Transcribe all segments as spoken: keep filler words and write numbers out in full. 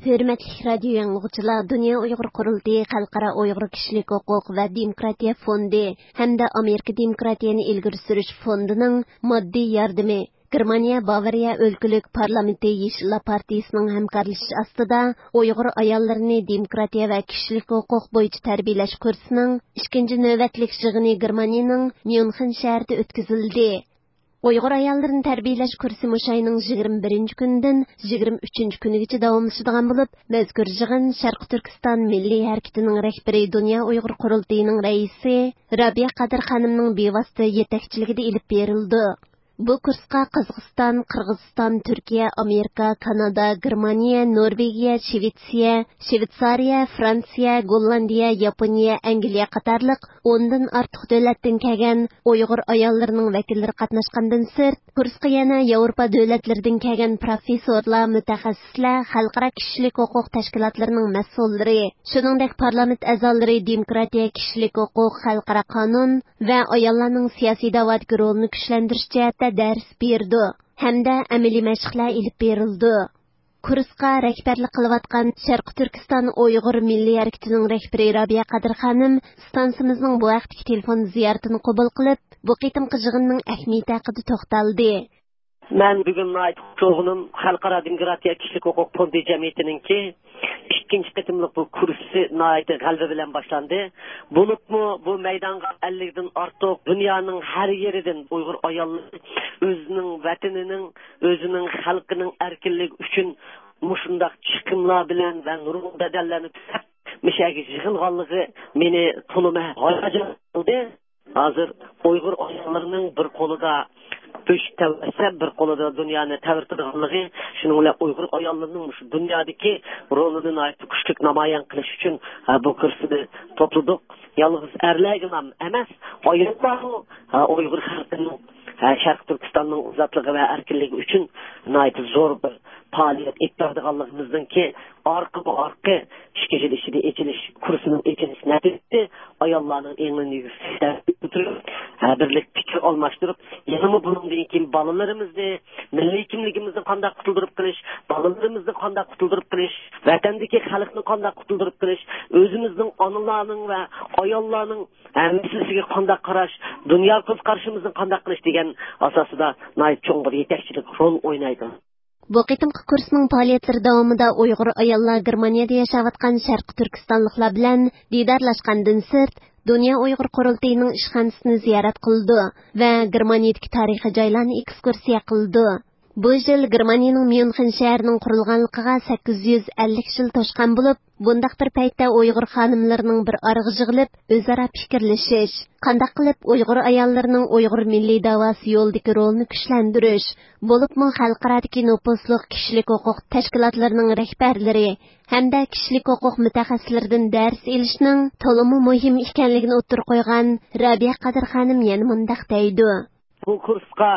ھۆرمەتلىك رادىيو ئاڭلىغۇچىلار، دۇنيا ئۇيغۇر قۇرۇلتىيى خەلقئارا ئۇيغۇر كىشىلىك ھوقۇق ۋە دېموكراتىيە فوندى ھەمدە ئامېرىكا دېموكراتىيەنى ئىلگىرى سۈرۈش فوندىنىڭ ماددىي ياردىمى، گېرمانىيە باۋارىيە ئۆلكىلىك پارلامېنتى يېشىللار پارتىيىسىنىڭ ھەمكارلىشىش ئاستىدا ئۇيغۇر ئاياللىرىنى دېموكراتىيە ۋە كىشىلىك ھوقۇق بويىچە تەربىيەلەش كۇرسىنىڭ ئىككىنچى نۆۋەتلىك يىغىنى گېرمانىيەنىڭ ميۇنخېن شەھىرىدە ئۆتكۈزۈلدى. ئۇيغۇر ئاياللىرىنى تەربىيەلەش كۇرسى مۇشۇ ئاينىڭ يىگىرمە بىرىنچى كۈنىدىن يىگىرمە ئۈچىنچى كۈنىگىچە داۋاملىشىدىغان بولۇپ، مەزكۇر يىغىن شەرقىي تۈركىستان مىللىي ھەرىكىتىنىڭ رەھبىرى، دۇنيا ئۇيغۇر قۇرۇلتىيىنىڭ رەئىسى رابىيە قادىر خانىمنىڭ بىۋاسىتە يېتەكچىلىكىدە ئېلىپ بېرىلىدۇ. بۇ كۇرسقا قازاقىستان، قىرغىزىستان، تۈركىيە، ئامېرىكا، كانادا، گېرمانىيە، نورۋېگىيە، شىۋېتسىيە، شىۋېتسارىيە، فرانسىيە، گوللاندىيە، ياپونىيە، ئەنگلىيە قاتارلىق ئوندىن ئارتۇق دۆلەتتىن كەلگەن ئۇيغۇر ئاياللىرىنىڭ ۋەكىللىرى قاتناشقاندىن سىرت، كۇرسقا يەنە ياۋروپا دۆلەتلىرىدىن كەلگەن پروفېسسورلار، مۇتەخەسسىسلەر، خەلقئارا كىشىلىك ھوقۇق تەشكىلاتلىرىنىڭ مەسئۇللىرى، شۇنىڭدەك پارلامېنت ئەزالىرى دېموكراتىيە، كىشىلىك ھوقۇق، خەلقئارا قانۇن ۋە ئاياللارنىڭ سىياسىي دەۋادىكى رولىنى كۈچلەندۈرۈش جەھەتتە دەرس بېرىدۇ ھەمدە ئەمەلىي مەشىقلەر ئېلىپ بېرىلىدۇ. كۇرسقا رەھبەرلىك قىلىۋاتقان شەرقىي تۈركىستان ئۇيغۇر مىللىي ھەرىكىتىنىڭ رەھبىرى رابىيە قادىر خانىم ئىستانسىمىزنىڭ بۇ ھەقتىكى تېلېفون زىيارىتىنى قوبۇل قىلىپ، بۇ قېتىمقى يىغىننىڭ ئەھمىيىتى ھەققىدە توختالدى. مەن بۈگۈن ناھايىتى خۇش بولغىنىم خەلقئارا دېموكراتىيە كىشىلىك ھوقۇق فوندى جەمئىيىتىنىڭكى ئىككىنچى قېتىملىق بۇ كۇرسى ناھايىتى غەلىبە بىلەن باشلاندى. بولۇپمۇ بۇ مەيدانغا ئەللىكتىن ئارتۇق دۇنيانىڭ ھەر يېرىدىن ئۇيغۇر ئاياللىرى ئۆزىنىڭ ۋەتىنىنىڭ، ئۆزىنىڭ خەلقىنىڭ ئەركىنلىكى ئۈچۈن مۇشۇنداق چىقىملار بىلەن ۋە نۇرغۇن بەدەللەرنى تۆلەپ، مۇشۇ يەرگە يىغىلغانلىقى مېنى تولىمۇ ھاياجان قىلدى. ھازىر ئۇيغۇر ئاياللىرىنىڭ بىر قولىدا ئۆچ تەۋرەتسە، بىر قولىدا دۇنيانى تەۋرىتىدىغانلىقى، شۇنىڭ بىلەن ئۇيغۇر ئاياللىرىنىڭ مۇشۇ دۇنيادىكى رولىنى ناھايىتى كۈچلۈك نامايان قىلىش ئۈچۈن، ھە، بۇ كۇرسنى توپلىدۇق. يالغۇز ئەرلەرگىلا ئەمەس، ئاياللارمۇ، ھە، ئۇيغۇر خەلقىنىڭ، ھە، شەرقىي تۈركىستاننىڭ ئازادلىقى ۋە ئەركىنلىكى ئۈچۈن ناھايىتى زور بىر پائالىيەت ئېلىپ بارىدىغانلىقىمىزنىڭكى ئارقىمۇ ئارقا ئىككى يىل ئىچىدە ئېچىلىش، كۇرسنىڭ ئېچىلىش نەتىجىسى ئاياللارنىڭ ئېڭىنى يۈكسەلتىپ تۇرۇپ، ھە، بىرلىكتە پىكىر ئالماشتۇرۇپ، يەنىمۇ بۇنىڭدىن كېيىن بالىلىرىمىزنى، مىللىي كىملىكىمىزنى قانداق قۇتۇلدۇرۇپ قېلىش، بالىلىرىمىزنى قانداق قۇتۇلدۇرۇپ قېلىش، ۋەتەندىكى خەلقنى قانداق قۇتۇلدۇرۇپ قېلىش، ئۆزىمىزنىڭ ئانىلارنىڭ ۋە ئاياللارنىڭ، ھە، مەسىلىسىگە قانداق قاراش، دۇنيا كۆز قارىشىمىزنى قانداق قىلىش دېگەن ئاساسىدا ناھايىتى چوڭ بىر يېتەكچىلىك رول ئوينايدۇ. بۇ قېتىمقى كۇرسنىڭ پائالىيەتلىرى داۋامىدا ئۇيغۇر ئاياللار گېرمانىيەدە ياشاۋاتقان شەرقىي تۈركىستانلىقلار بىلەن دىدارلاشقاندىن سىرت، دۇنيا ئۇيغۇر قۇرۇلتىيىنىڭ ئىشخانىسىنى زىيارەت قىلىدۇ ۋە گېرمانىيەدىكى تارىخىي جايلارنى ئېكسكۇرسىيە قىلىدۇ. بۇ يىل گېرمانىيىنىڭ ميۇنخېن شەھىرىنىڭ قۇرۇلغانلىقىغا سەككىز يۈز ئەللىك يىل توشقان بولۇپ، بۇنداق بىر پەيتتە ئۇيغۇر خانىملىرىنىڭ بىر ئارىغا يىغىلىپ، ئۆزئارا پىكىرلىشىش، قانداق قىلىپ ئۇيغۇر ئاياللىرىنىڭ ئۇيغۇر مىللىي داۋاسى يولىدىكى رولىنى كۈچلەندۈرۈش، بولۇپمۇ خەلقئارادىكى نوپۇزلۇق كىشىلىك ھوقۇق تەشكىلاتلىرىنىڭ رەھبەرلىرى ھەمدە كىشىلىك ھوقۇق مۇتەخەسسىسلىرىدىن دەرس ئېلىشنىڭ تولىمۇ مۇھىم ئىكەنلىكىنى ئوتتۇرىغا قويغان رابىيە قادىر خانىم يەنە مۇنداق دەيدۇ. بۇ كۇرسقا،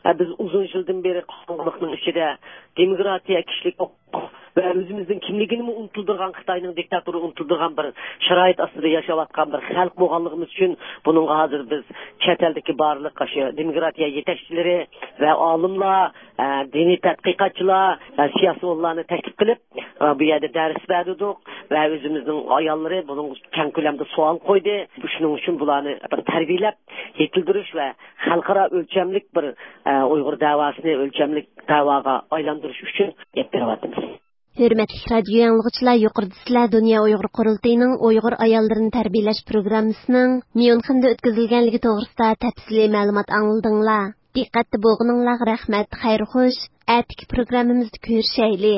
ئە، بىز ئۇزۇن يىلدىن بېرى قانۇنلۇقنىڭ ئىچىدە دېموكراتىيە، كىشىلىك ھوقۇق ۋە ئۆزىمىزنىڭ كىملىكىنىمۇ ئۇنتۇلدۇرغان، خىتاينىڭ دىكتاتورى ئۇنتۇلدۇرغان بىر شارائىت ئاستىدا ياشاۋاتقان بىر خەلق بولغانلىقىمىز ئۈچۈن، بۇنىڭغا ھازىر بىز چەت ئەلدىكى بارلىق ئاشۇ دېموكراتىيە يېتەكچىلىرى ۋە ئالىملار، ئە، دىنىي تەتقىقاتچىلار ۋە سىياسىيونلارنى تەكلىپ قىلىپ، ئە، بۇ يەردە دەرس بەردۇق ۋە ئۆزىمىزنىڭ ئاياللىرى بۇنىڭغا كەڭ كۆلەمدە سوئال قويدى. شۇنىڭ ئۈچۈن بۇلارنى بىر تەربىيەلەپ يېتىلدۈرۈش ۋە خەلقئارا ئۆلچەملىك بىر، ئە، ئۇيغۇر دەۋاسىنى ئۆلچەملىك دەۋاغا ئايلاندۇرۇش ئۈچۈن ئېلىپ بېرىۋاتىمىز. ھۆرمەتلىك رادىيو ئاڭلىغۇچىلار، يۇقىرىدا سىلەر دۇنيا ئۇيغۇر قۇرۇلتىيىنىڭ ئۇيغۇر ئاياللىرىنى تەربىيەلەش پروگراممىسىنىڭ ميۇنخېندا ئۆتكۈزۈلگەنلىكى توغرىسىدا تەپسىلىي مەلۇمات ئاڭلىدىڭلار. دىققەتتە بولغىنىڭلارغا رەھمەت، خەير خوش. ئەتىكى پروگراممىمىزدا كۆرۈشەيلى.